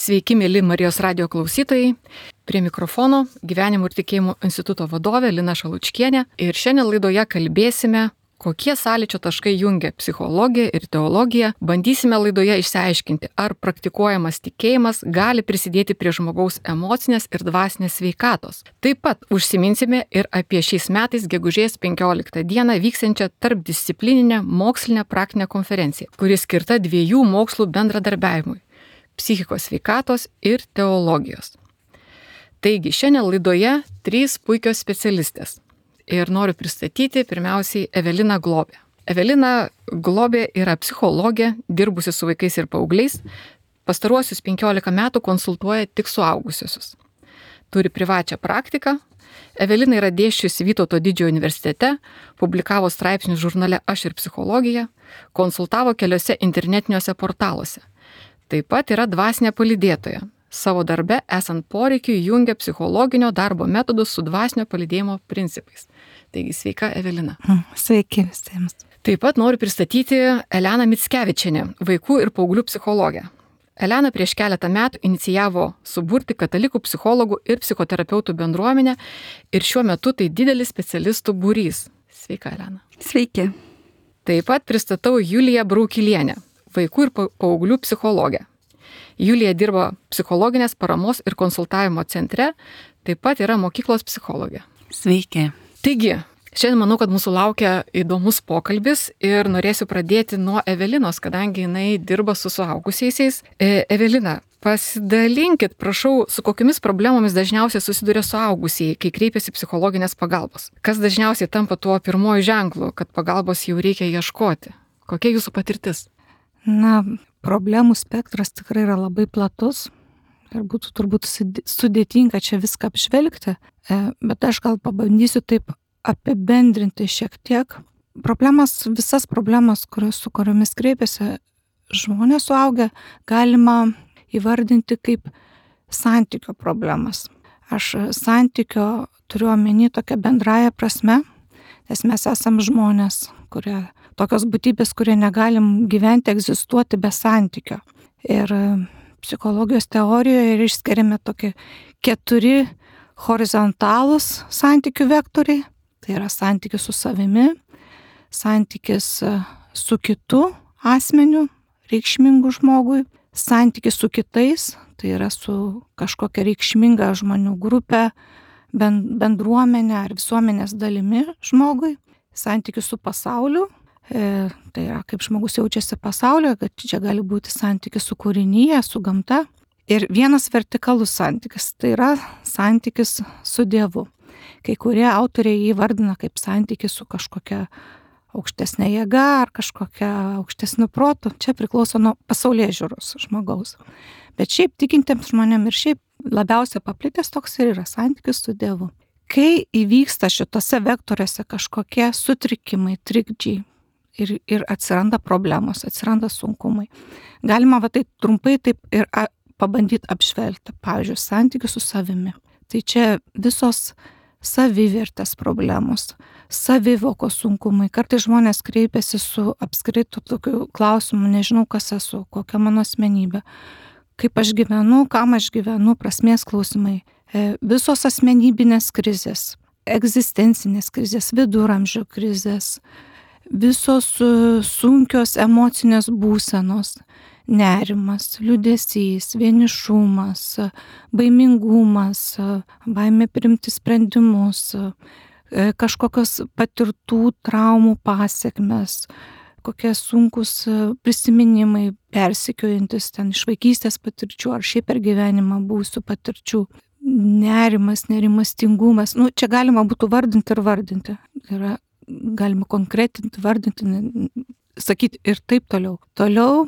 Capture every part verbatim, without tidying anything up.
Sveiki, mėly Marijos radijo klausytojai. Prie mikrofono Gyvenimo ir tikėjimo instituto vadovė Lina Šalučkienė. Ir šiandien laidoje kalbėsime, kokie sąlyčio taškai jungia psichologiją ir teologiją. Bandysime laidoje išsiaiškinti, ar praktikuojamas tikėjimas gali prisidėti prie žmogaus emocinės ir dvasinės sveikatos. Taip pat užsiminsime ir apie šiais metais gegužės penkioliktą dieną vyksiančią tarpdisciplininę mokslinę praktinę konferenciją, kuri skirta dviejų mokslų bendradarbiavimui - psichikos sveikatos ir teologijos. Taigi, šiandien laidoje trys puikios specialistės. Ir noriu pristatyti pirmiausiai Eveliną Globę. Evelina Globė yra psichologė, dirbusi su vaikais ir paaugliais. Pastaruosius penkiolika metų konsultuoja tik suaugusiusius. Turi privačią praktiką. Evelina yra dėsčiusi Vytauto didžiojo universitete, publikavo straipsnius žurnale Aš ir psichologija, konsultavo keliose internetiniuose portaluose. Taip pat yra dvasinė palydėtoja. Savo darbe, esant poreikiui, jungia psichologinio darbo metodus su dvasinio palydėjimo principais. Taigi, sveika, Evelina. Sveiki visiems. Taip pat noriu pristatyti Eleną Mickevičienę, vaikų ir paauglių psichologę. Elena prieš keletą metų inicijavo suburti katalikų psichologų ir psichoterapeutų bendruomenę ir šiuo metu tai didelis specialistų būrys. Sveika, Elena. Sveiki. Taip pat pristatau Juliją Braukilienę, vaikų ir paauglių psichologę. Julija dirba psichologinės paramos ir konsultavimo centre, taip pat yra mokyklos psichologė. Sveiki. Taigi, šiandien manau, kad mūsų laukia įdomus pokalbis ir norėsiu pradėti nuo Evelinos, kadangi jinai dirba su suaugusiaisiais. E, Evelina, pasidalinkit, prašau, su kokiamis problemomis dažniausiai susiduria suaugusieji, kai kreipiasi psichologinės pagalbos. Kas dažniausiai tampa tuo pirmoju ženklu, kad pagalbos jau reikia ieškoti? Kokia jūsų patirtis? Na, problemų spektras tikrai yra labai platus ir būtų turbūt sudėtinga čia viską apžvelgti, bet aš gal pabandysiu taip apibendrinti šiek tiek. Problemas, visas problemas, kurios, su kuriomis kreipiasi žmonės suaugę, galima įvardinti kaip santykio problemas. Aš santykio turiu omeny tokią bendrąją prasme, nes mes esam žmonės, kurie tokios būtybės, kurie negalim gyventi, egzistuoti be santykio. Ir psichologijos teorijoje ir išskiriame tokie keturi horizontalūs santykių vektoriai. Tai yra santykis su savimi, santykis su kitu asmeniu, reikšmingu žmogui, santykis su kitais, tai yra su kažkokia reikšminga žmonių grupė, bendruomenė ar visuomenės dalimi žmogui, santykis su pasauliu. E, tai yra, kaip žmogus jaučiasi pasaulyje, kad čia gali būti santykis su kūrinyje, su gamta. Ir vienas vertikalus santykis, tai yra santykis su Dievu. Kai kurie autoriai jį vardina kaip santykis su kažkokia aukštesnė jėga ar kažkokia aukštesniu protu. Čia priklauso nuo pasaulėžiūros žmogaus. Bet šiaip tikintiems žmonėms ir šiaip labiausiai paplitęs toks ir yra santykis su Dievu. Kai įvyksta šitose vektoriuose kažkokie sutrikimai, trikdžiai, Ir, ir atsiranda problemos, atsiranda sunkumai. Galima va tai trumpai taip ir a, pabandyti apžvelgti. Pavyzdžiui, santykių su savimi. Tai čia visos savivertės problemos, savivokos sunkumai. Kartais žmonės kreipiasi su apskritu tokiu klausimu, nežinau, kas esu, kokia mano asmenybė, kaip aš gyvenu, kam aš gyvenu, prasmės klausimai. E, visos asmenybinės krizės, egzistencinės krizės, viduramžių krizės, visos sunkios emocinės būsenos, nerimas, liūdesys, vienišumas, baimingumas, baimė priimti sprendimus, kažkokios patirtų traumų pasekmes, kokie sunkus prisiminimai, persekiojantis ten iš vaikystės patirčių ar šiaip per gyvenimą buvusių patirčių, nerimas, nerimastingumas. Nu, čia galima būtų vardinti ir vardinti. Yra galima konkretinti, vardinti, sakyti ir taip toliau. Toliau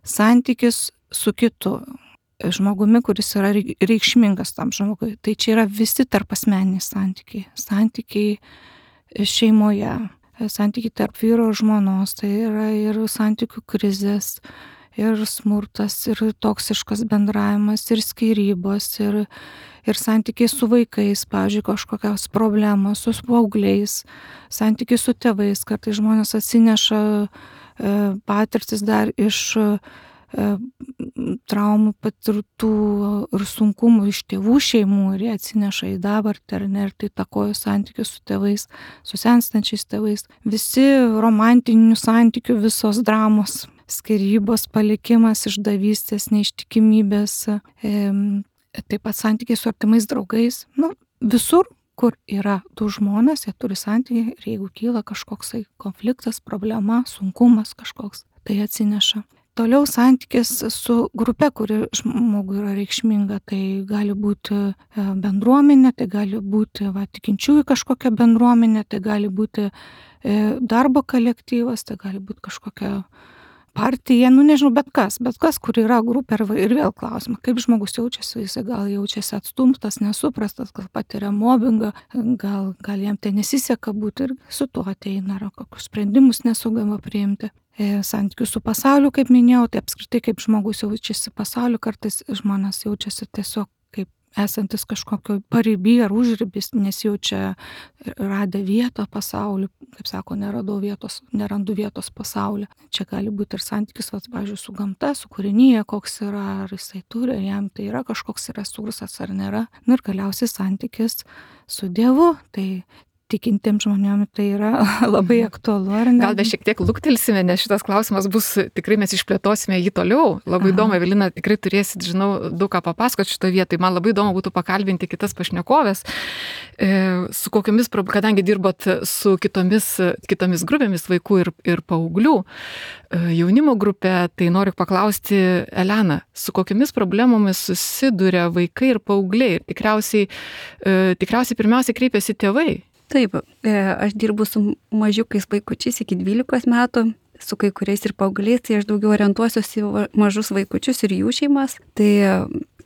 santykis su kitu žmogumi, kuris yra reikšmingas tam žmogui. Tai čia yra visi tarpasmeniniai santykiai. Santykiai šeimoje, santykiai tarp vyro ir žmonos, tai yra ir santykių krizės, ir smurtas, ir toksiškas bendravimas, ir skyrybos, ir, ir santykiai su vaikais, pavyzdžiui, kažkokios problemos, su paaugliais, santykiai su tėvais, kartais žmonės atsineša e, patirtis dar iš traumų patirtų ir sunkumų iš tėvų šeimų ir jie atsineša į dabartį, ar ne, ir tai takojo santykius su tėvais, su senstančiais tėvais. Visi romantinių santykių, visos dramos, skyrybos, palikimas, išdavystės, neištikimybės, taip pat santykiai su artimais draugais. Nu, visur, kur yra du žmonės, jie turi santykiai ir jeigu kyla kažkoksai konfliktas, problema, sunkumas kažkoks, tai atsineša. Toliau santykis su grupe, kuri žmogui yra reikšminga, tai gali būti bendruomenė, tai gali būti va, tikinčiųjų kažkokia bendruomenė, tai gali būti darbo kolektyvas, tai gali būti kažkokia partija, nu nežinau, bet kas, bet kas, kur yra grupė ir vėl klausimą, kaip žmogus jaučiasi, jis gal jaučiasi atstumtas, nesuprastas, gal patiria mobbingą, gal, gal jam tai nesiseka būti ir su tuo ateina, ar kokius sprendimus nesugeba priimti. Santykių su pasauliu, kaip minėjau, tai apskritai kaip žmogus jaučiasi pasauliu, kartais žmonės jaučiasi tiesiog kaip esantis kažkokio pariby ar užribis, nesijaučia radę vietą pasauliu, kaip sako, neradau vietos, nerandu vietos pasauliu. Čia gali būti ir santykis, va, pavyzdžiui, su gamta, su kūrinyje, koks yra, ar jisai turi, ar jam tai yra kažkoks resursas ar nėra. Ir galiausiai santykis su Dievu, tai tikintiems žmonėms tai yra labai aktualu, ar ne? Gal dar šiek tiek luktelsime, nes šitas klausimas bus, tikrai mes išplėtosime jį toliau. Labai Aha. įdomu, Evelina, tikrai turėsit, žinau, daug ką papasakoti šitoje vietoje. Man labai įdomu būtų pakalbinti kitas pašnekovės, su kokiamis, kadangi dirbat su kitomis, kitomis grupėmis vaikų ir, ir paauglių, jaunimo grupė, tai noriu paklausti, Elena, su kokiamis problemomis susiduria vaikai ir paaugliai? Tikriausiai, tikriausiai pirmiausiai kreipiasi tėvai. Taip, aš dirbu su mažiukais vaikučiais iki dvylikos metų, su kai kuriais ir paaugliais, tai aš daugiau orientuosiuosi į mažus vaikučius ir jų šeimas. Tai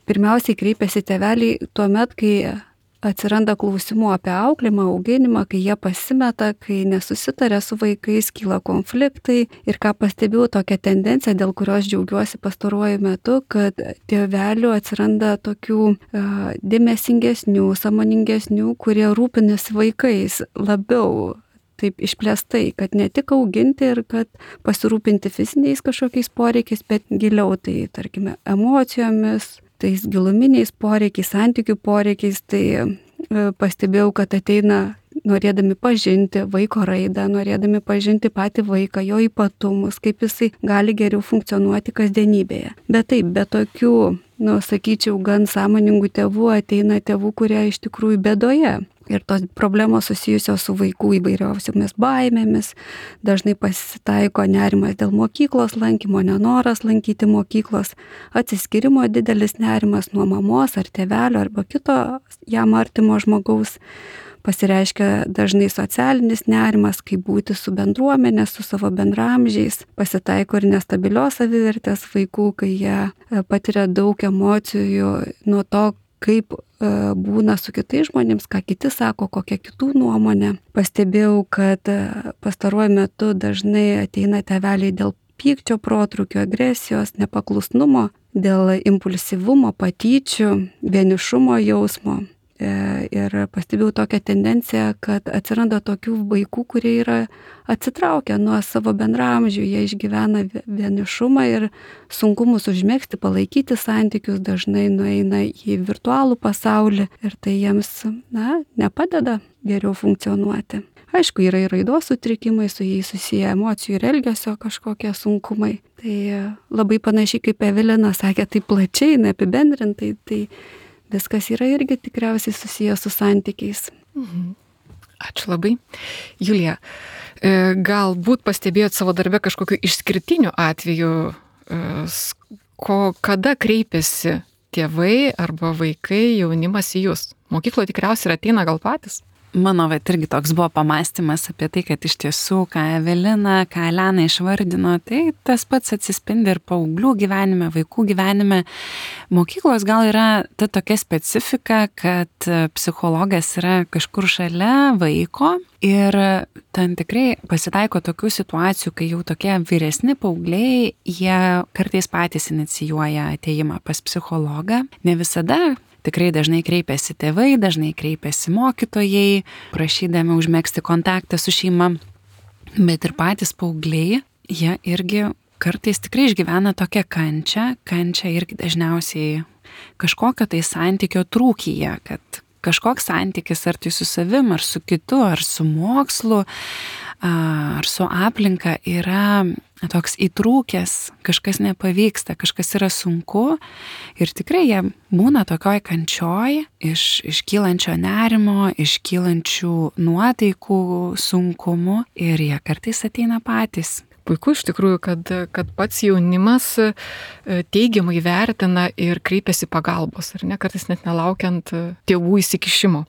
pirmiausiai kreipiasi tėveliai tuo met, kai atsiranda klausimų apie auklėjimą, auginimą, kai jie pasimeta, kai nesusitaria su vaikais, kyla konfliktai. Ir ką pastebėjau, tokią tendenciją, dėl kurios džiaugiuosi pastaruoju metu, kad tėvelių atsiranda tokių uh, dėmesingesnių, sąmoningesnių, kurie rūpinasi vaikais labiau taip išplėstai, kad ne tik auginti ir kad pasirūpinti fiziniais kažkokiais poreikiais, bet giliau, tai tarkime emocijomis, tais giluminiais poreikiais, santykių poreikiais, tai pastebėjau, kad ateina norėdami pažinti vaiko raidą, norėdami pažinti patį vaiką, jo ypatumus, kaip jisai gali geriau funkcionuoti kasdienybėje. Bet taip, be tokių, nu, sakyčiau, gan sąmoningų tėvų ateina tėvų, kurie iš tikrųjų bėdoje. Ir tos problemos susijusios su vaikų įvairiausiomis baimėmis, dažnai pasitaiko nerimas dėl mokyklos lankymo, nenoras lankyti mokyklos, atsiskyrimo didelis nerimas nuo mamos ar tėvelio arba kito jam artimo žmogaus, pasireiškia dažnai socialinis nerimas, kaip būti su bendruomenė, su savo bendramžiais, pasitaiko ir nestabilios savivertės vaikų, kai jie patiria daug emocijų nuo to, kaip būna su kitais žmonėms, ką kiti sako, kokia kitų nuomonė. Pastebėjau, kad pastaruoju metu dažnai ateina tėveliai dėl pykčio protrūkio, agresijos, nepaklusnumo, dėl impulsyvumo, patyčių, vienišumo jausmo. Ir pastebėjau tokią tendenciją, kad atsiranda tokių vaikų, kurie yra atsitraukę nuo savo bendramžių, jie išgyvena vienišumą ir sunkumus užmegzti, palaikyti santykius, dažnai nueina į virtualų pasaulį ir tai jiems, na, nepadeda geriau funkcionuoti. Aišku, yra ir raidos sutrikimai, su jais susiję emocijų ir elgesio kažkokie sunkumai. Tai labai panašiai kaip Evelina sakė, tai plačiai, neapibendrintai, tai viskas yra irgi tikriausiai susijęs su santykiais. Mhm. Ačiū labai. Julija, galbūt pastebėjot savo darbe kažkokiu išskirtiniu atveju, ko, kada kreipiasi tėvai arba vaikai, jaunimas į jūs? Mokykloje tikriausiai ir ateina gal patys? Mano vat irgi toks buvo pamąstymas apie tai, kad iš tiesų, ką Evelina, ką Elena išvardino, tai tas pats atsispindi ir paauglių gyvenime, vaikų gyvenime. Mokyklos gal yra ta tokia specifika, kad psichologas yra kažkur šalia vaiko ir ten tikrai pasitaiko tokių situacijų, kai jau tokie vyresni paaugliai, jie kartais patys inicijuoja atėjimą pas psichologą. Ne visada. Tikrai dažnai kreipiasi tėvai, dažnai kreipiasi mokytojai, prašydami užmegzti kontaktą su šeima, bet ir patys paaugliai, jie irgi kartais tikrai išgyvena tokią kančią, kančią irgi dažniausiai kažkokio tai santykio trūkyje, kad kažkoks santykis ar tai su savim, ar su kitu, ar su mokslu, ar su aplinka yra toks įtrūkęs, kažkas nepavyksta, kažkas yra sunku ir tikrai jie būna tokioj kančioj iš, iš kylančio nerimo, iš kylančių nuotaikų sunkumų ir jie kartais ateina patys. Puiku iš tikrųjų, kad, kad pats jaunimas teigiamai vertina ir kreipiasi pagalbos, ar ne, kartais net nelaukiant tėvų įsikišimo.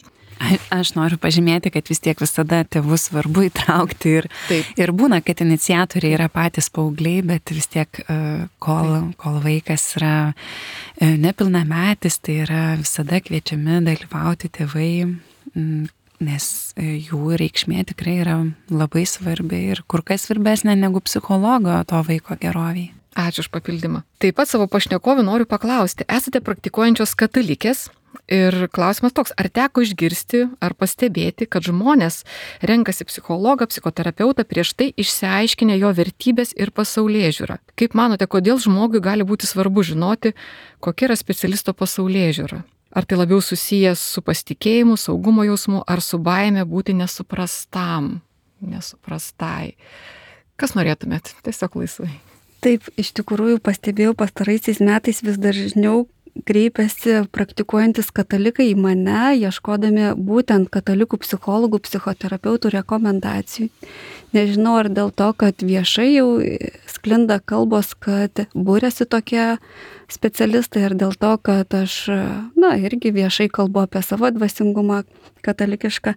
Aš noriu pažymėti, kad vis tiek visada tėvus svarbu įtraukti ir, ir būna, kad iniciatoriai yra patys paaugliai, bet vis tiek kol, kol vaikas yra nepilnametis, tai yra visada kviečiami dalyvauti tėvai, nes jų reikšmė tikrai yra labai svarbi ir kur kas svarbesnė negu psichologo to vaiko geroviai. Ačiū už papildymą. Taip pat savo pašnekovį noriu paklausti, esate praktikuojančios katalikės ir klausimas toks, ar teko išgirsti ar pastebėti, kad žmonės renkasi psichologą, psichoterapeutą prieš tai išsiaiškinę jo vertybės ir pasaulėžiūrą. Kaip manote, kodėl žmogui gali būti svarbu žinoti, kokia yra specialisto pasaulėžiūra? Ar tai labiau susijęs su pasitikėjimu, saugumo jausmu, ar su baime būti nesuprastam, nesuprastai? Kas norėtumėt? Tiesiog laisvai. Taip, iš tikrųjų pastebėjau pastaraisiais metais vis dažniau kreipiasi praktikuojantis katalikai į mane, ieškodami būtent katalikų psichologų, psichoterapeutų rekomendacijų. Nežinau, ar dėl to, kad viešai jau sklinda kalbos, kad būrėsi tokie specialistai, ar dėl to, kad aš, na, irgi viešai kalbu apie savo dvasingumą katalikišką,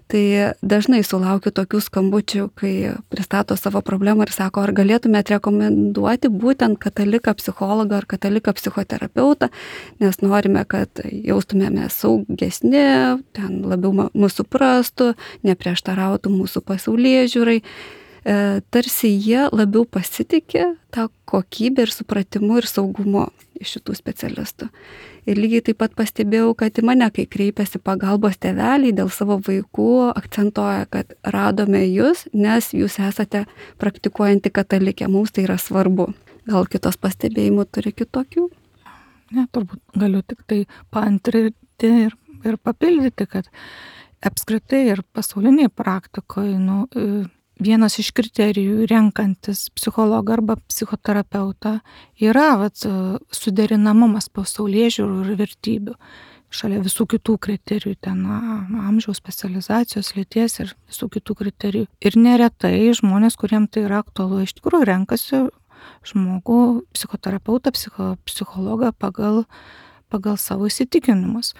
tai dažnai sulaukiu tokių skambučių, kai pristato savo problemą ir sako, ar galėtumėt rekomenduoti būtent kataliką psichologą ar kataliką psichoterapeutą, nes norime, kad jaustumėme saugesni, ten labiau mūsų suprastų, neprieštarautų mūsų pasaulėžiūrai. Tarsi jie labiau pasitikė tą kokybę ir supratimu ir saugumu iš šitų specialistų. Ir lygiai taip pat pastebėjau, kad į mane, kai kreipiasi pagalbos tėveliai dėl savo vaikų, akcentuoja, kad radome jūs, nes jūs esate praktikuojanti katalikė, mums tai yra svarbu. Gal kitos pastebėjimų turi kitokių? Ne, turbūt galiu tik tai paantrinti ir, ir papildyti, kad apskritai ir pasauliniai praktikoje, nu, vienas iš kriterijų renkantis psichologą arba psichoterapeutą yra vat, suderinamumas pasaulėžiūrų ir vertybių. Šalia visų kitų kriterijų, ten amžiaus, specializacijos, lyties ir visų kitų kriterijų. Ir neretai žmonės, kuriems tai yra aktualu, iš tikrųjų renkasi žmogų, psichoterapeutą, psicho, psichologą pagal, pagal savo įsitikinimus.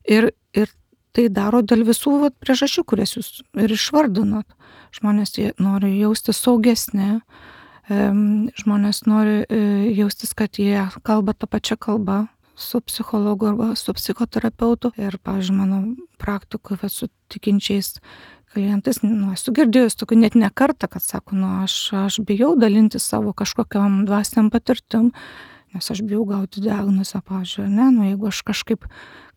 Ir, ir tai daro dėl visų vat, priežasčių, kurias jūs ir išvardinot. Žmonės nori jaustis saugesni, žmonės nori jaustis, kad jie kalba tą pačią kalbą su psichologu arba su psichoterapeutu. Ir, pavyzdžiui, mano praktikoje su tikinčiais klientais, nu, esu girdėjus tokių net ne kartą, kad sako, nu, aš, aš bijau dalinti savo kažkokiam dvasiniam patirtim, nes aš bijau gauti diagnozę, pavyzdžiui, ne, nu, jeigu aš kažkaip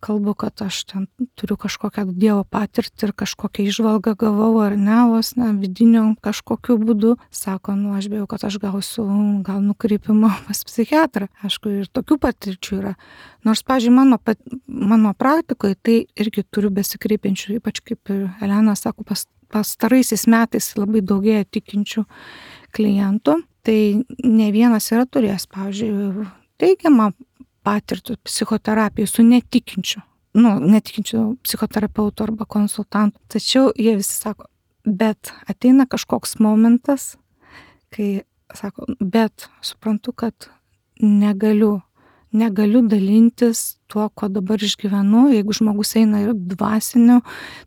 kalbu, kad aš ten turiu kažkokią Dievo patirtį ir kažkokią įžvalgą gavau ar ne, vos ne, vidiniu kažkokiu būdu, sako, nu, aš bijau, kad aš gausiu gal nukreipimą pas psichiatrą. Aišku, ir tokių patirčių yra. Nors, pavyzdžiui, mano, mano praktikoje tai irgi turiu besikreipiančių, ypač kaip Elena sako, pas, pastaraisiais metais labai daugėja tikinčių klientų. Tai ne vienas yra turėjęs, pavyzdžiui, teigiamą patirtų psichoterapijų su netikinčiu, nu, netikinčiu psichoterapeutu arba konsultantu. Tačiau jie visi sako, bet ateina kažkoks momentas, kai sako, bet suprantu, kad negaliu, negaliu dalintis tuo, ko dabar išgyvenu. Jeigu žmogus eina ir dvasinio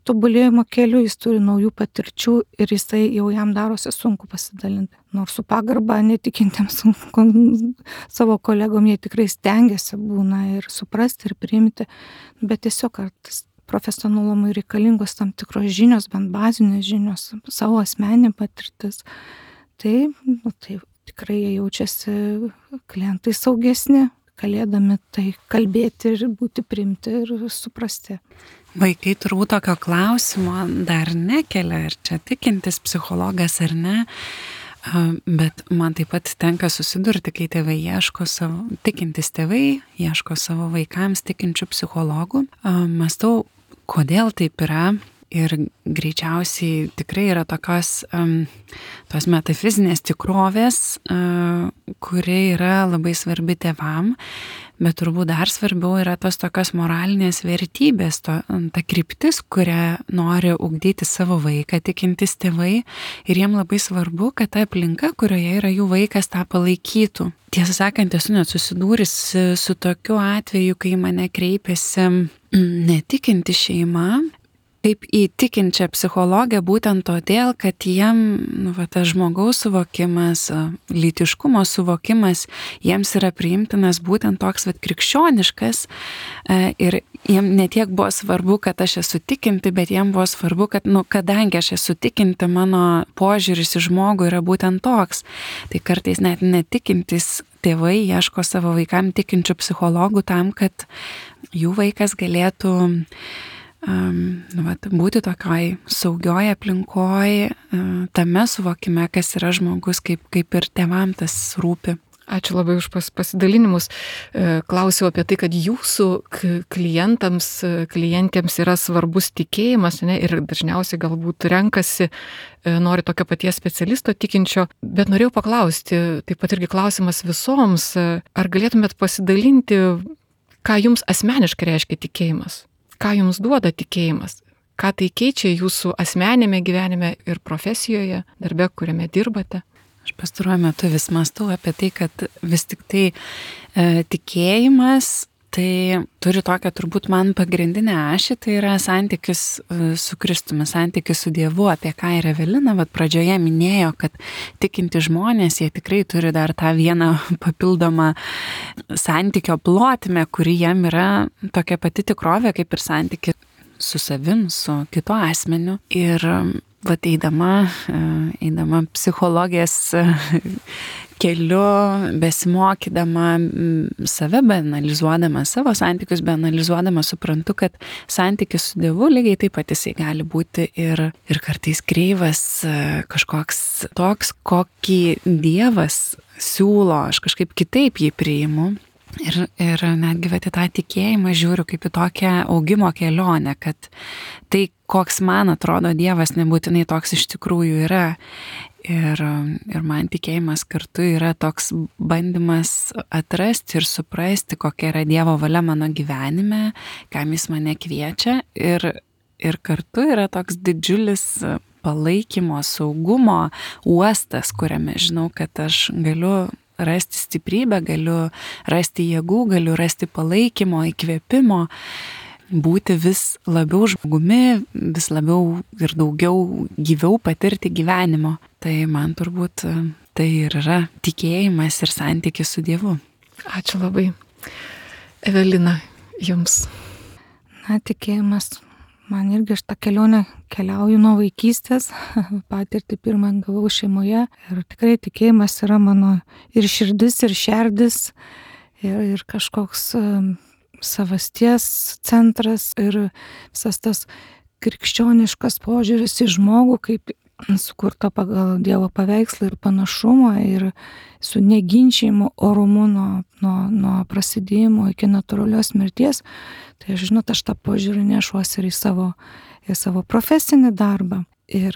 tobulėjimo keliu, jis turi naujų patirčių ir jisai jau jam darosi sunku pasidalinti. Nors su pagarba netikintiems savo kolegom jie tikrai stengiasi būna ir suprasti ir priimti, bet tiesiog kartais profesionalumui reikalingos tam tikros žinios, bent bazinės žinios, savo asmeninė patirtis. Tai, nu, tai tikrai jie jaučiasi klientai saugesni, galėdami tai kalbėti ir būti priimti ir suprasti. Vaikai turbūt tokio klausimo dar nekelia, ar čia tikintis psichologas ar ne. Bet man taip pat tenka susidurti, kai tėvai ieško savo, tikintis tėvai ieško savo vaikams tikinčių psichologų. Mąstau, kodėl taip yra. Ir greičiausiai tikrai yra tokios um, tos metafizinės tikrovės, uh, kuri yra labai svarbi tėvam, bet turbūt dar svarbiau yra tos tokios moralinės vertybės, to, ta kryptis, kurią nori ugdyti savo vaiką tikintis tėvai, ir jiem labai svarbu, kad ta aplinka, kurioje yra jų vaikas, tą palaikytų. Tiesą sakant, esu net susidūris su tokiu atveju, kai mane kreipiasi netikinti šeima, kaip į tikinčią psichologę, būtent todėl, kad jiem nu, va, tas žmogaus suvokimas, lytiškumo suvokimas, jiems yra priimtinas būtent toks va, krikščioniškas, ir jiem netiek buvo svarbu, kad aš esu tikinti, bet jiem buvo svarbu, kad, nu, kadangi aš esu tikinti, mano požiūris į žmogų yra būtent toks. Tai kartais net netikintis tėvai ieško savo vaikam tikinčių psichologų tam, kad jų vaikas galėtų Um, nu, vat, būti tokioj saugioj aplinkoj, uh, tame suvokime, kas yra žmogus, kaip, kaip ir tėvam tas rūpi. Ačiū labai už pas, pasidalinimus. Klausiau apie tai, kad jūsų klientams, klientėms yra svarbus tikėjimas, ne, ir dažniausiai galbūt renkasi, nori tokio paties specialisto tikinčio, bet norėjau paklausti, taip pat irgi klausimas visoms, ar galėtumėt pasidalinti, ką jums asmeniškai reiškia tikėjimas? Ką jums duoda tikėjimas? Ką tai keičia jūsų asmenėme gyvenime ir profesijoje, darbe, kuriame dirbate? Aš pastaruoju metu vis mąstau apie tai, kad vis tik tai e, tikėjimas tai turi tokią turbūt man pagrindinę ašį, tai yra santykis e, su Kristumi, santykis su Dievu, apie ką ir Evelina vat pradžioje minėjo, kad tikinti žmonės, jie tikrai turi dar tą vieną papildomą santykio plotmę, kuri jam yra tokia pati tikrovė, kaip ir santykis su savim, su kitu asmeniu. Ir vat eidama, eidama psichologijos keliu, besimokydama save, beanalizuodama savo santykius, beanalizuodama suprantu, kad santykis su Dievu lygiai taip pat jisai gali būti ir, ir kartais kreivas, kažkoks toks, kokį Dievas siūlo, aš kažkaip kitaip jį priimu. Ir, ir netgi vat į tą tikėjimą žiūriu kaip į tokią augimo kelionę, kad tai, koks man atrodo Dievas, nebūtinai toks iš tikrųjų yra. Ir, ir man tikėjimas kartu yra toks bandymas atrasti ir suprasti, kokia yra Dievo valia mano gyvenime, kam jis mane kviečia. Ir, ir kartu yra toks didžiulis palaikymo, saugumo uostas, kuriame žinau, kad aš galiu rasti stiprybę, galiu rasti jėgų, galiu rasti palaikymo, įkvėpimo, būti vis labiau žmogumi, vis labiau ir daugiau gyviau patirti gyvenimo. Tai man turbūt tai ir yra tikėjimas ir santykis su Dievu. Ačiū labai. Evelina, jums. Na, tikėjimas. Man irgi aš tą kelionę keliauju nuo vaikystės, patirtį pirmą gavau šeimoje ir tikrai tikėjimas yra mano ir širdis, ir šerdis, ir, ir kažkoks um, savasties centras ir visas tas krikščioniškas požiūris į žmogų, kaip sukurta pagal Dievo paveikslą ir panašumą ir su neginčiamu orumu nuo, nuo, nuo prasidėjimo iki natūralios mirties. Tai aš žinot, aš tą požiūrį nešuosi ir į savo, į savo profesinį darbą ir,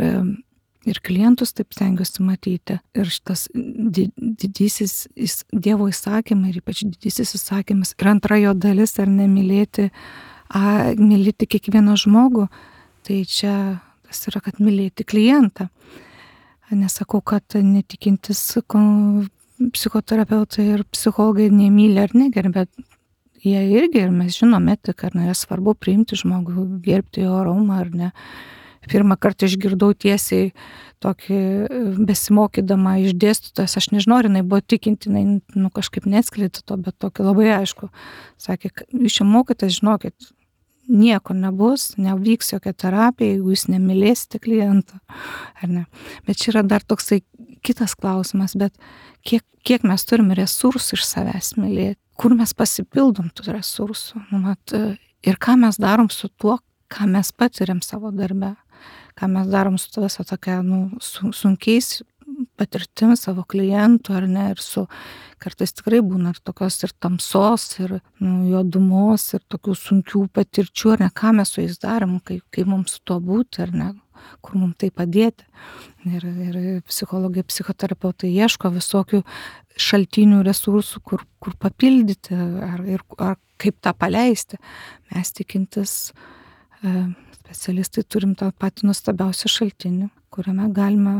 ir klientus taip stengiuosi matyti. Ir šitas didysis Dievo įsakymai ir ypač didysis įsakymas ir antra jo dalis, ar nemylėti, a, mylėti kiekvieną žmogų, tai čia tas yra, kad mylėti klientą. Nesakau, kad netikintis psichoterapeutai ir psichologai nemyli ar negerbė, bet jie irgi, ir mes žinom etiką, ar ne, svarbu priimti žmogų, gerbti jo orumą, ar ne. Pirmą kartą išgirdau tiesiai tokį besimokydama iš dėstytojas, aš nežinau, ar jinai buvo tikinti, jinai nu, kažkaip neatskleidė to, bet tokį labai aišku. Sakė, jūs čia mokotės, žinokit, nieko nebus, nevyks jokia terapija, jeigu jūs nemylėsite klientą, ar ne. Bet čia yra dar toksai kitas klausimas, bet kiek, kiek mes turim resursų iš savęs mylėti, kur mes pasipildom tų resursų, nu, mat, ir ką mes darom su tuo, ką mes patiriam savo darbe, ką mes darom su visą tokia, nu, sunkiais patirtim savo klientų, ar ne, ir su kartais tikrai būna ir tokios ir tamsos, ir nu, juodumos, ir tokių sunkių patirčių, ar ne, ką mes su jais darom, kaip, kaip mums su tuo būti, ar ne, kur mums tai padėti. Ir, ir psichologai, psichoterapeutai ieško visokių šaltinių, resursų, kur, kur papildyti, ar, ir, ar kaip tą paleisti. Mes tikintis e, specialistai turim tą patį nuostabiausią šaltinį, kuriame galime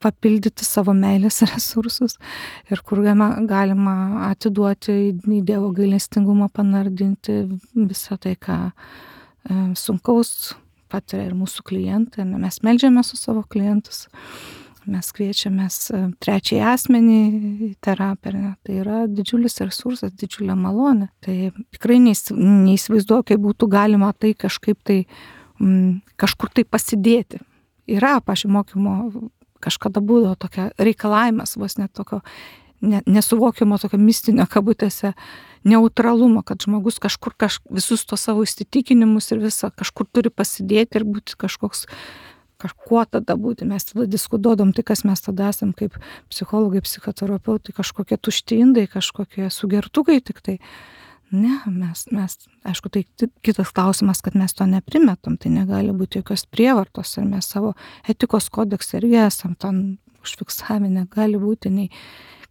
papildyti savo meilės resursus ir kur galima atiduoti į Dievo gailestingumą, panardinti visą tai, ką e, sunkaus patiria ir mūsų klientai. Mes meldžiamės su savo klientus, mes kviečiamės trečiai asmenį į terapiją. Tai yra didžiulis resursas, didžiulė malonė. Tai tikrai neįsivaizduoju, kaip būtų galima tai kažkaip tai m, kažkur tai pasidėti. Yra, pavyzdžiui, mokymo kažkada būdavo tokia reikalavimas, vos net tokio ne, nesuvokimo, tokio mistinio kabutėse neutralumo, kad žmogus kažkur kaž, visus to savo įsitikinimus ir visą kažkur turi pasidėti ir būti kažkoks, kažkuo tada būti. Mes tada diskutuodom, tai kas mes tada esam kaip psichologai, psichoterapeutai, kažkokie tušti indai, kažkokie sugertukai tik tai. Ne, mes, mes, aišku, tai kitas klausimas, kad mes to neprimetam, tai negali būti jokios prievartos ir mes savo etikos kodeksą irgi esam ten užfiksavę, negali būti nei,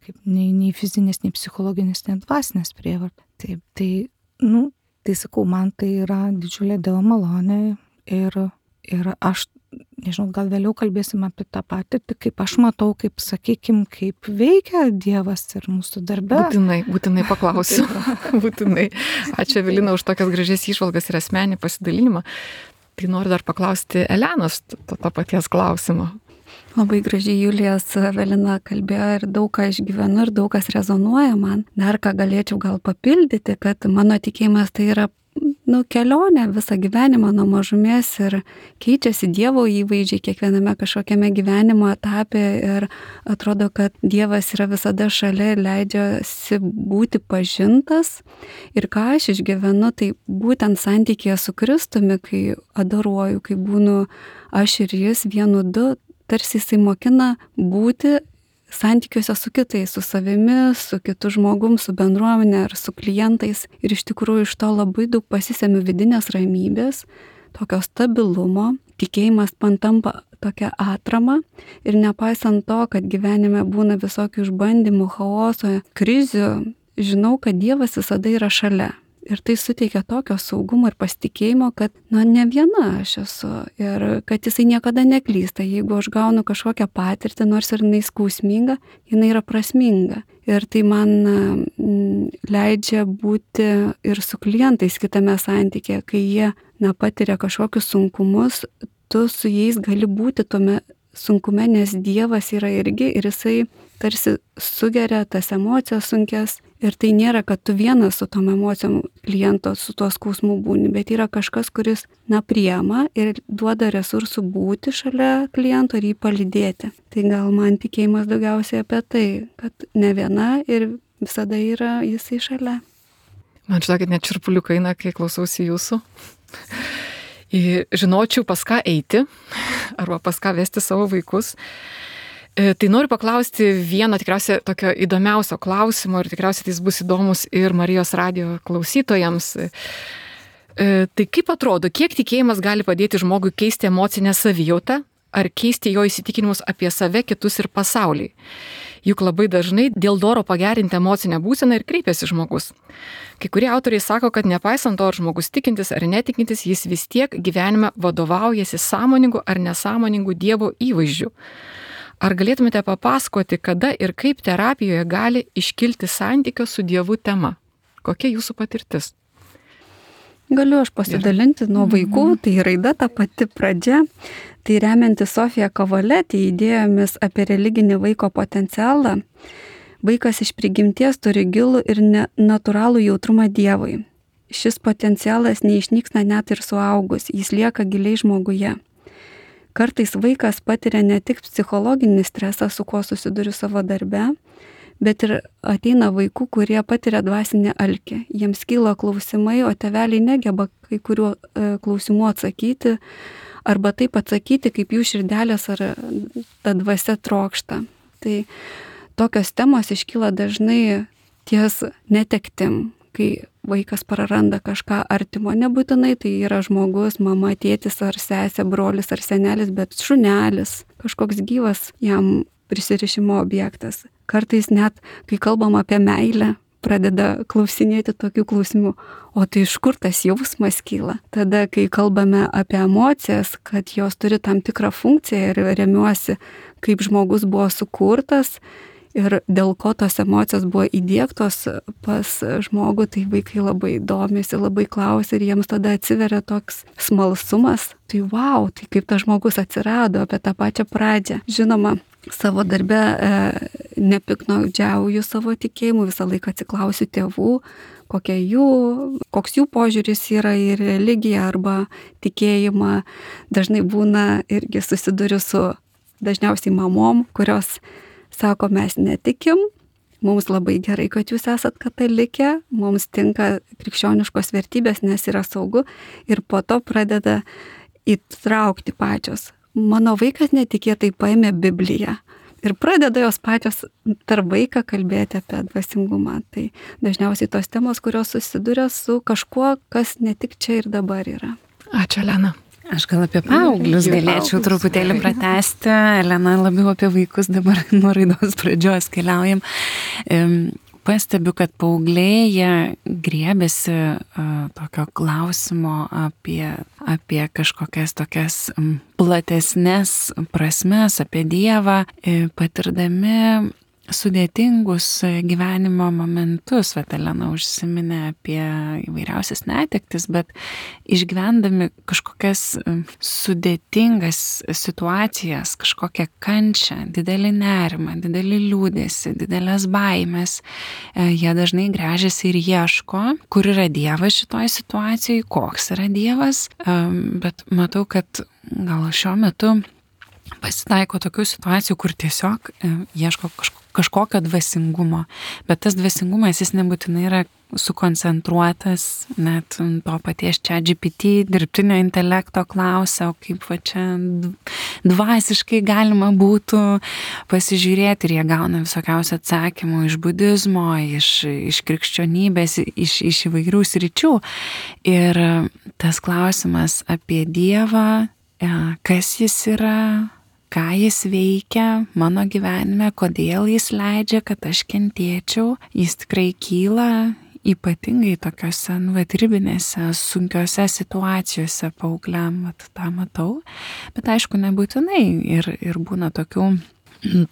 kaip, nei, nei fizinės, nei psichologinės, nei dvasinės prievartos. Taip, tai, nu, tai sakau, man tai yra didžiulė Dievo malonė ir, ir aš, nežinau, gal vėliau kalbėsim apie tą patirtį, kaip aš matau, kaip, sakykim, kaip veikia Dievas ir mūsų darbe. Būtinai, būtinai paklausiu. Būtinai. Ačiū, Evelina, už tokias gražias įžvalgas ir asmenį pasidalinimą. Tai noriu dar paklausti Elenos to, to paties klausimo. Labai gražiai Julijas Evelina kalbėjo ir daug ką išgyvenu ir daug kas rezonuoja man. Dar ką galėčiau gal papildyti, kad mano tikėjimas tai yra nu, kelionė visą gyvenimą nuo mažumės ir keičiasi Dievo įvaizdžiai kiekviename kažkokiame gyvenimo etape ir atrodo, kad Dievas yra visada šalia ir leidžiasi būti pažintas. Ir ką aš išgyvenu, tai būtent santykėje su Kristumi, kai adoruoju, kai būnu aš ir jis vienu du, tarsi jisai mokina būti santykiuose su kitais, su savimi, su kitu žmogum, su bendruomenė ar su klientais. Ir iš tikrųjų iš to labai daug pasisemiu vidinės ramybės, tokio stabilumo. Tikėjimas man tampa tokia atrama ir nepaisant to, kad gyvenime būna visokių išbandymų, chaoso, krizių, žinau, kad Dievas visada yra šalia. Ir tai suteikia tokio saugumo ir pasitikėjimo, kad nu, ne viena aš esu ir kad jisai niekada neklysta. Jeigu aš gaunu kažkokią patirtį, nors ir jinai skausminga, jinai yra prasminga. Ir tai man mm, leidžia būti ir su klientais kitame santykėje, kai jie na, patiria kažkokius sunkumus, tu su jais gali būti tome sunkume, nes Dievas yra irgi ir jisai tarsi sugeria tas emocijas sunkes. Ir tai nėra, kad tu vienas su tom emocijom kliento, su tuo skausmu būni, bet yra kažkas, kuris, na, priema ir duoda resursų būti šalia kliento ir jį palydėti. Tai gal man tikėjimas daugiausiai apie tai, kad ne viena ir visada yra jisai šalia. Man žinokit, net čirpuliukai eina, kai klausausi jūsų. Žinočiau, pas ką eiti, arba pas ką vesti savo vaikus. Tai noriu paklausti vieno tikriausiai tokio įdomiausio klausimo ir tikriausiai jis bus įdomus ir Marijos radijo klausytojams. Tai kaip atrodo, kiek tikėjimas gali padėti žmogui keisti emocinę savijautą ar keisti jo įsitikinimus apie save, kitus ir pasaulį? Juk labai dažnai dėl noro pagerinti emocinę būseną ir kreipiasi žmogus. Kai kurie autoriai sako, kad nepaisant to, ar žmogus tikintis ar netikintis, jis vis tiek gyvenime vadovaujasi sąmoningu ar nesąmoningu Dievo įvaizdžiu. Ar galėtumėte papasakoti, kada ir kaip terapijoje gali iškilti santykio su Dievu tema? Kokia jūsų patirtis? Galiu aš pasidalinti nuo vaikų, tai raida ta pati pradžia. Tai remianti Sofija Kavaletė idėjomis apie religinį vaiko potencialą, vaikas iš prigimties turi gilų ir natūralų jautrumą Dievui. Šis potencialas neišnyksta net ir suaugus, jis lieka giliai žmoguje. Kartais vaikas patiria ne tik psichologinį stresą, su kuo susiduriu savo darbe, bet ir ateina vaikų, kurie patiria dvasinį alkį. Jiems kyla klausimai, o tėveliai negeba kai kuriuo e, klausimų atsakyti, arba taip atsakyti, kaip jų širdelės ar ta dvasia trokšta. Tai tokios temos iškyla dažnai ties netektim, kai vaikas praranda kažką artimo, nebūtinai tai yra žmogus, mama, tėtis ar sesė, brolis ar senelis, bet šunelis, kažkoks gyvas jam prisirišimo objektas. Kartais net, kai kalbam apie meilę, pradeda klausinėti tokių klausimų, o tai iš kur tas jausmas kyla? Tada, kai kalbame apie emocijas, kad jos turi tam tikrą funkciją ir remiuosi, kaip žmogus buvo sukurtas ir dėl ko tos emocijos buvo įdiegtos pas žmogų, tai vaikai labai domisi, labai klausia ir jiems tada atsiveria toks smalsumas. Tai wow, tai kaip tas žmogus atsirado, apie tą pačią pradžią. Žinoma, savo darbe e, nepiknaudžiauju savo tikėjimu, visą laiką atsiklausiu tėvų, kokia jų, koks jų požiūris yra į religiją arba tikėjimą. Dažnai būna irgi susiduriu su dažniausiai mamom, kurios sako, mes netikim, mums labai gerai, kad jūs esat katalikė, mums tinka krikščioniškos vertybės, nes yra saugu ir po to pradeda įtraukti pačios. Mano vaikas netikėtai paėmė Bibliją ir pradeda jos pačios tarp vaiką kalbėti apie dvasingumą. Tai dažniausiai tos temos, kurios susiduria su kažkuo, kas ne tik čia ir dabar yra. Ačiū, Elena. Aš gal apie paauglius galėčiau truputėlį pratęsti. Elena labiau apie vaikus, dabar nuo raidos pradžios keliaujam. Pastebiu, kad paaugliai jie griebėsi uh, tokio klausimo apie, apie kažkokias tokias um, platesnės prasmes, apie Dievą, patirdami sudėtingus gyvenimo momentus. Vat Elena užsiminė apie įvairiausias netektis, bet išgyvendami kažkokias sudėtingas situacijas, kažkokią kančią, didelį nerimą, didelį liūdėsį, didelės baimės, jie dažnai gręžiasi ir ieško, kur yra Dievas šitoj situacijai, koks yra Dievas, bet matau, kad gal šiuo metu pasitaiko tokių situacijų, kur tiesiog ieško kažko, kažkokio dvasingumo, bet tas dvasingumas jis nebūtinai yra sukoncentruotas, net to paties ChatGPT, dirbtinio intelekto klausia, o kaip va čia dvasiškai galima būtų pasižiūrėti ir jie gauna visokiausių atsakymų iš budizmo, iš, iš krikščionybės, iš, iš įvairių sričių. Ir tas klausimas apie Dievą, kas jis yra, ką jis veikia mano gyvenime, kodėl jis leidžia, kad aš kentėčiau, jis tikrai kyla ypatingai tokiuose, nu, vat, ribinėse, sunkiose situacijose paaugliam, vat, tą matau, bet aišku, nebūtinai ir, ir būna tokių,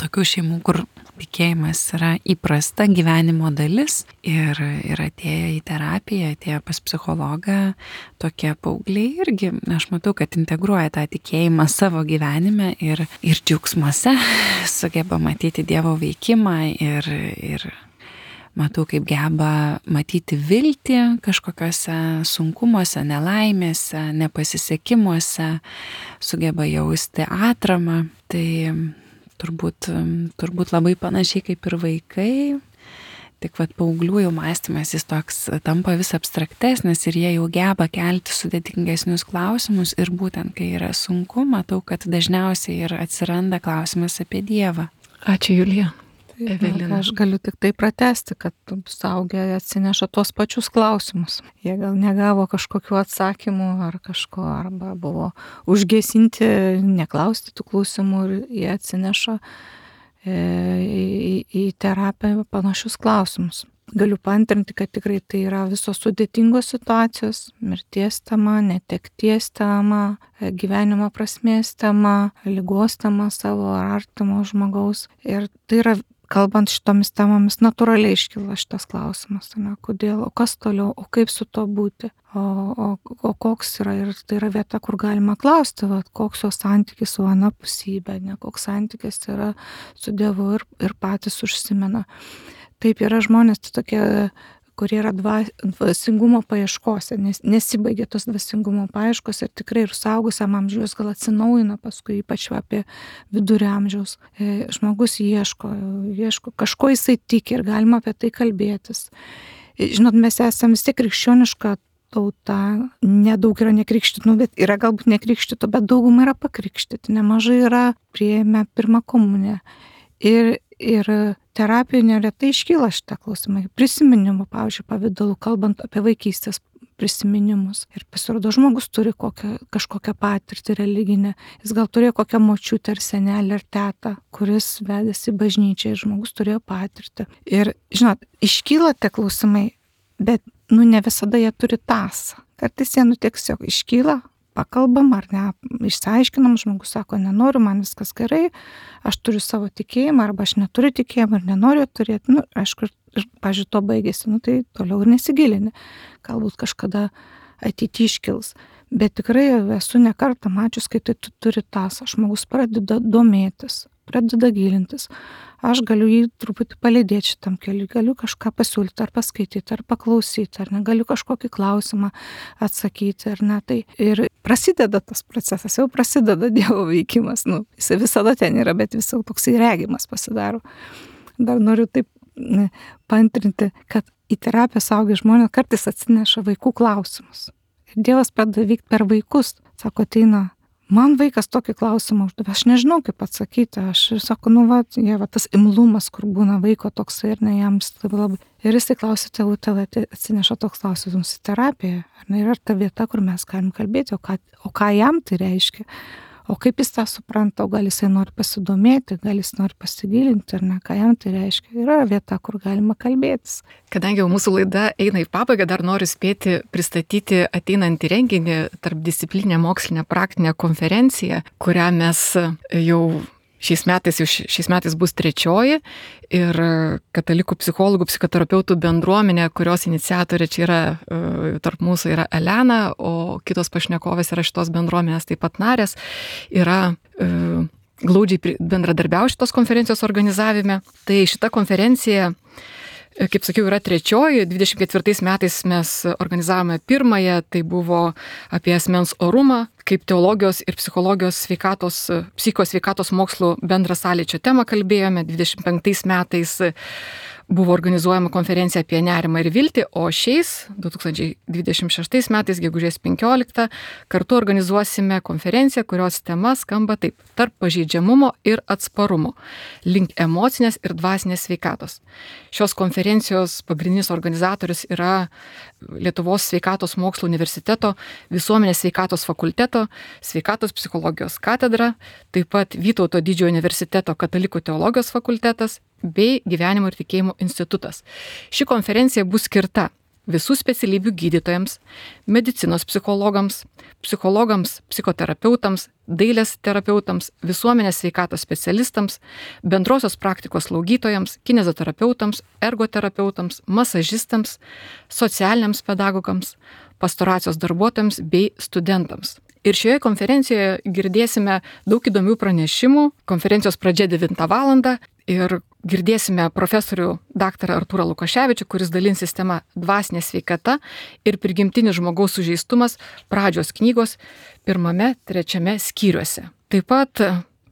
tokių šeimų, kur tikėjimas yra įprasta gyvenimo dalis ir, ir atėję į terapiją, atėję pas psichologą, tokie paaugliai irgi, aš matau, kad integruoja tą tikėjimą savo gyvenime ir, ir džiaugsmuose sugeba matyti Dievo veikimą ir, ir matau, kaip geba matyti viltį kažkokiuose sunkumuose, nelaimėse, nepasisekimuose, sugeba jausti atramą. Tai turbūt, turbūt labai panašiai kaip ir vaikai, tik vat paauglių jau mąstymas jis toks tampa vis abstraktesnis ir jie jau geba kelti sudėtingesnius klausimus ir būtent kai yra sunku, matau, kad dažniausiai ir atsiranda klausimas apie Dievą. Ačiū, Julija. Evelina. Aš galiu tik tai pratesti, kad suaugę atsineša tos pačius klausimus. Jie gal negavo kažkokių atsakymų ar kažko, arba buvo užgesinti, neklausti tų klausimų ir jie atsineša e, į, į terapiją panašius klausimus. Galiu paantrinti, kad tikrai tai yra visos sudėtingos situacijos, mirties tema, netekties tema, gyvenimo prasmės tema, ligos tema savo ar artimo žmogaus. Ir tai yra, kalbant šitomis temomis, natūraliai iškyla šitas klausimas, ne, kodėl, o kas toliau, o kaip su to būti, o, o, o koks yra, ir tai yra vieta, kur galima klausti, va, koks jo santykis su anapusybė, ne, koks santykis yra su Dievu ir, ir patys užsimena. Taip yra žmonės tai tokie, kurie yra dvasingumo paieškose, nes nesibaigia tos dvasingumo paieškos ir tikrai ir suaugusiam amžiaus gal atsinaujina, paskui ypač apie vidurio amžiaus. E, žmogus ieško, ieško, kažko jisai tiki ir galima apie tai kalbėtis. E, žinot, mes esame vis tiek krikščioniška tauta, nedaug yra nekrikštytų, bet yra galbūt nekrikštytų, bet dauguma yra pakrikštyti, nemažai yra priėmę pirmą komuniją. Ir, ir terapijų neretai iškyla šitą klausimą. Prisiminimų, pavyzdžiui, pavydalu, kalbant apie vaikystės prisiminimus. Ir pasirodo, žmogus turi kokią, kažkokią patirtį religinę. Jis gal turėjo kokią močiutę ar senelį ar tetą, kuris vedėsi į bažnyčią ir žmogus turėjo patirtį. Ir, žinot, iškyla tie klausimai, bet, nu, ne visada jie turi tąsą. Kartais jie, nu, tiesiog iškyla, pakalbam ar ne, išsiaiškinam, žmogus sako, nenoriu, man viskas gerai, aš turiu savo tikėjimą, arba aš neturiu tikėjimą ir nenoriu turėti, nu, aišku, ir, pažiūrėjau, to baigėsi, nu, tai toliau ir nesigilini, galbūt kažkada ateityje iškils, bet tikrai esu ne kartą mačius, kai tai turi tąsą, žmogus pradeda domėtis, pradeda gilintis, aš galiu jį truputį palydėti šitam keliui, galiu kažką pasiūlyti ar paskaityti, ar paklausyti, ar negaliu kažkokį klausimą atsakyti, ar ne, tai ir prasideda tas procesas, jau prasideda Dievo veikimas, nu, jis visada ten yra, bet vis jau toksai regimas pasidaro. Dar noriu taip ne, paantrinti, kad į terapiją suaugę žmonės kartais atsineša vaikų klausimus. Ir Dievas pradeda veikti per vaikus, sako, ateina, man vaikas tokį klausimą uždavė, aš nežinau kaip atsakyti, aš ir sako, nu va, jie, va tas imlumas, kur būna vaiko toksai ir ne jam labai. Ir jisai klausė tėvų, tėvai atsineša toks klausimas į terapiją, ar ne, yra ta vieta, kur mes galim kalbėti, o ką, o ką jam tai reiškia, o kaip jis tą supranta, o gal jisai nori pasidomėti, gal jis nori pasigilinti, ar ne, ką jam tai reiškia, yra vieta, kur galima kalbėtis. Kadangi jau mūsų laida eina į pabaigą, dar noriu spėti pristatyti ateinantį renginį tarpdisciplinę mokslinę praktinę konferenciją, kurią mes jau šiais metais, jau šiais metais bus trečioji ir katalikų psichologų, psichoterapeutų bendruomenė, kurios iniciatorė čia yra, tarp mūsų yra Elena, o kitos pašnekovės yra šitos bendruomenės taip pat narės, yra glaudžiai bendradarbiauja šitos konferencijos organizavime. Tai šita konferencija, kaip sakiau, yra trečioji. dvidešimt ketvirtais metais mes organizavome pirmąją, tai buvo apie asmens orumą, kaip teologijos ir psichologijos sveikatos, psichosveikatos mokslų bendrą sąlyčio temą kalbėjome. dvidešimt penktais metais buvo organizuojama konferencija apie nerimą ir viltį, o šiais, du tūkstančiai dvidešimt šeštais metais, gegužės penkioliktą, kartu organizuosime konferenciją, kurios tema skamba taip: tarp pažeidžiamumo ir atsparumo, link emocinės ir dvasinės sveikatos. Šios konferencijos pagrindinis organizatorius yra Lietuvos sveikatos mokslų universiteto visuomenės sveikatos fakulteto sveikatos psichologijos katedra, taip pat Vytauto didžiojo universiteto katalikų teologijos fakultetas bei gyvenimo ir tikėjimo institutas. Ši konferencija bus skirta visų specialybių gydytojams, medicinos psichologams, psichologams, psichoterapeutams, dailės terapeutams, visuomenės sveikatos specialistams, bendrosios praktikos slaugytojams, kinezoterapeutams, ergoterapeutams, masažistams, socialiniams pedagogams, pastoracijos darbuotojams bei studentams. Ir šioje konferencijoje girdėsime daug įdomių pranešimų. Konferencijos pradžia devintą valandą ir girdėsime profesorių daktarą Artūrą Lukaševičių, kuris dalinsis tema Dvasinė sveikata ir prigimtinis žmogaus sužeistumas pradžios knygos pirmame, trečiame skyriuose. Taip pat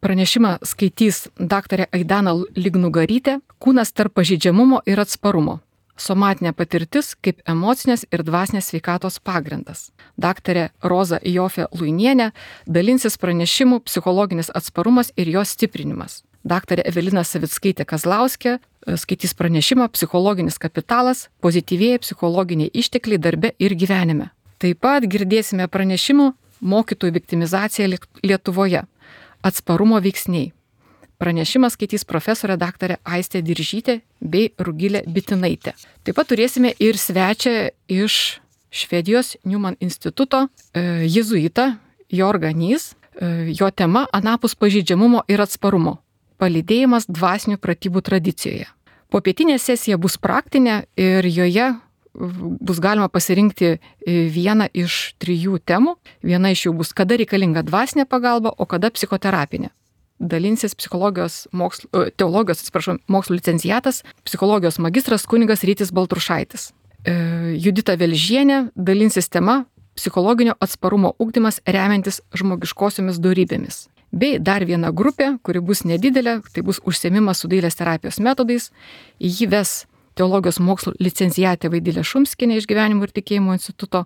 pranešimą skaitys daktarė Aidana Lignugarytė, Kūnas tarp pažeidžiamumo ir atsparumo. Somatinė patirtis kaip emocinės ir dvasinės sveikatos pagrindas. Daktarė Roza Jofė Luinienė dalinsis pranešimu Psichologinis atsparumas ir jos stiprinimas. Daktarė Evelina Savickaitė Kazlauskė skaitys pranešimą Psichologinis kapitalas, pozityvieji psichologiniai ištekliai darbe ir gyvenime. Taip pat girdėsime pranešimų Mokytojų viktimizacija Lietuvoje, atsparumo veiksniai. Pranešimas skaitys profesorė daktarė Aistė Diržytė bei Rugilė Bitinaitė. Taip pat turėsime ir svečią iš Švedijos Newman instituto, jėzuitą Jorgą Nys. Jo tema Anapus pažeidžiamumo ir atsparumo. Palydėjimas dvasinių pratybų tradicijoje. Popietinė sesija bus praktinė ir joje bus galima pasirinkti vieną iš trijų temų. Viena iš jų bus, kada reikalinga dvasinė pagalba, o kada psichoterapinė. Dalinsis psichologijos mokslo, teologijos, atsiprašau, mokslo licenciatas, psichologijos magistras kunigas Rytis Baltrušaitis. Judita Velžienė dalinsis tema psichologinio atsparumo ugdymas remiantis žmogiškosiomis dorybėmis. Bei dar viena grupė, kuri bus nedidelė, tai bus užsiėmimas su dailės terapijos metodais. Jį ves teologijos mokslo licenciatė Vaidilė Šumskienė iš Gyvenimo ir tikėjimo instituto.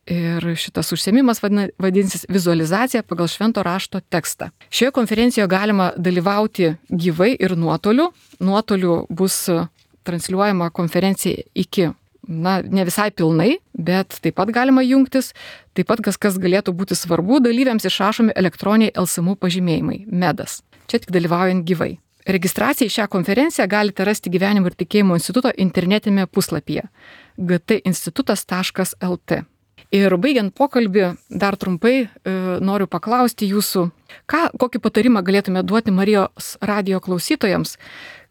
Ir šitas užsiėmimas vadinsis vizualizacija pagal švento rašto tekstą. Šioje konferencijoje galima dalyvauti gyvai ir nuotoliu. Nuotoliu bus transliuojama konferencija iki, na, ne visai pilnai, bet taip pat galima jungtis. Taip pat kas, kas galėtų būti svarbu, dalyviams išrašomi elektroniniai L S M U pažymėjimai, medas. Čia tik dalyvaujant gyvai. Registraciją į šią konferenciją galite rasti Gyvenimo ir tikėjimo instituto internetinėme puslapyje g t institutas taškas l t. Ir baigiant pokalbį, dar trumpai e, noriu paklausti jūsų, ką, kokį patarimą galėtume duoti Marijos radijo klausytojams,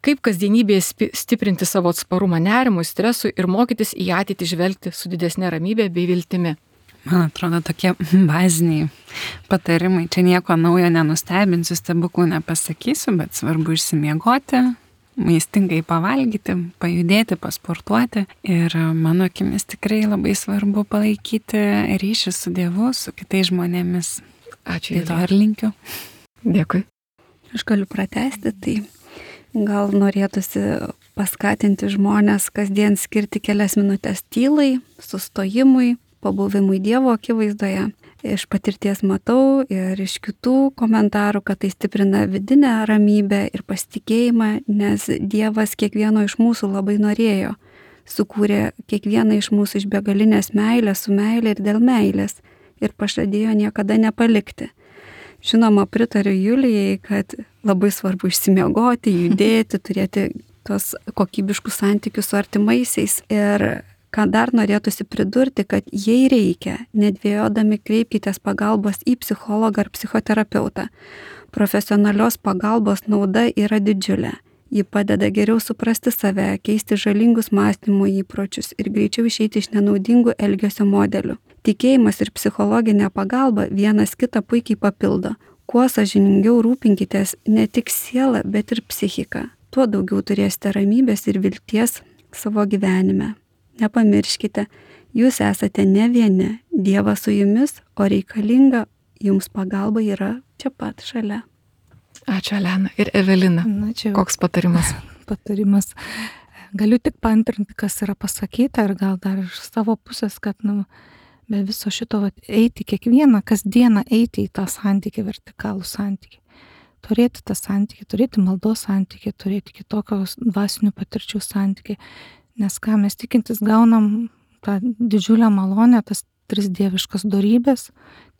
kaip kasdienybėje stiprinti savo atsparumą nerimui, stresui ir mokytis į ateitį žvelgti su didesnė ramybė bei viltimi. Man atrodo, tokie baziniai patarimai. Čia nieko naujo nenustebinsiu, stebuklų nepasakysiu, bet svarbu išsimiegoti, maistingai pavalgyti, pajudėti, pasportuoti. Ir mano akimis tikrai labai svarbu palaikyti ryšį su Dievu, su kitais žmonėmis. Ačiū. Tai to ir linkiu. Dėkui. Aš galiu pratęsti, tai gal norėtųsi paskatinti žmonės kasdien skirti kelias minutės tylai, sustojimui, pabuvimui Dievo akivaizdoje. Iš patirties matau ir iš kitų komentarų, kad tai stiprina vidinę ramybę ir pasitikėjimą, nes Dievas kiekvieno iš mūsų labai norėjo. Sukūrė kiekvieną iš mūsų iš begalinės meilės, su meilė ir dėl meilės ir pažadėjo niekada nepalikti. Žinoma, pritariu Julijai, kad labai svarbu išsimiegoti, judėti, turėti tos kokybiškus santykius su artimaisiais. Ir ką dar norėtųsi pridurti, kad jei reikia, nedvėjodami kreipkitės pagalbos į psichologą ar psichoterapeutą. Profesionalios pagalbos nauda yra didžiulė. Ji padeda geriau suprasti save, keisti žalingus mąstymo įpročius ir greičiau išeiti iš nenaudingų elgesio modelių. Tikėjimas ir psichologinė pagalba vienas kitą puikiai papildo. Kuo sąžiningiau rūpinkitės ne tik sielą, bet ir psichiką. Tuo daugiau turėsite ramybės ir vilties savo gyvenime. Nepamirškite, jūs esate ne vieni, Dievas su jumis, o reikalinga jums pagalba yra čia pat šalia. Ačiū, Elena. Ir Evelina, Na, čia koks patarimas? patarimas. Galiu tik paantrinti, kas yra pasakyta ir gal dar iš savo pusės, kad nu, be viso šito vat, eiti kiekvieną, kasdieną eiti į tą santykį, vertikalų santykį. Turėti tą santykį, turėti maldos santykį, turėti kitokios dvasinių patirčių santykį. Nes ką mes tikintis gaunam tą didžiulę malonę, tas tris dieviškas dorybės,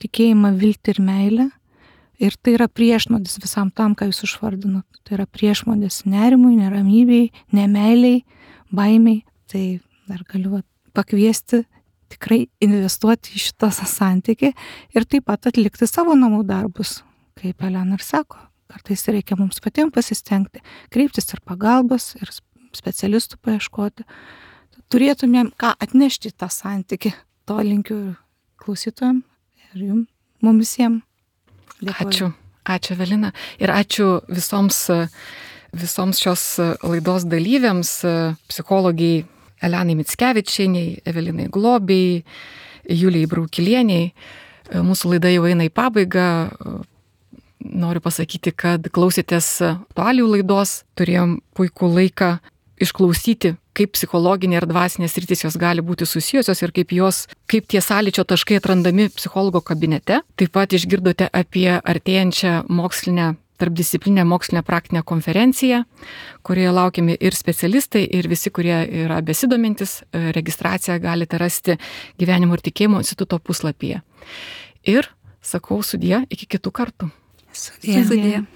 tikėjimą, viltį ir meilę. Ir tai yra priešnuodis visam tam, ką jūs išvardinot. Tai yra priešnuodis nerimui, neramybei, nemeiliai, baimiai. Tai dar galiu pakviesti tikrai investuoti į šitą santykį ir taip pat atlikti savo namų darbus, kaip Elena ir sako. Kartais reikia mums patiems pasistengti, kreiptis ir pagalbos, ir specialistų paieškoti. Turėtumėm ką atnešti tą santykį. To linkiu klausytojams ir jums, mums visiems. Dėkuoju. Ačiū. Ačiū, Evelina. Ir ačiū visoms, visoms šios laidos dalyviams, psichologijai Elenai Mickevičieniai, Evelinai Globei, Julijai Braukilieniai. Mūsų laida jau eina į pabaigą. Noriu pasakyti, kad klausėtės aktualijų laidos, turėjom puikų laiką išklausyti, kaip psichologinė ir dvasinės sritys jos gali būti susijusios ir kaip, jos, kaip tie sąlyčio taškai atrandami psichologo kabinete. Taip pat išgirdote apie artėjančią mokslinę, tarpdisciplinę mokslinę praktinę konferenciją, kurioje laukiami ir specialistai, ir visi, kurie yra besidomintis. Registraciją galite rasti Gyvenimo ir tikėjimo instituto puslapyje. Ir sakau sudie iki kitų kartų. Sudie. Sudie.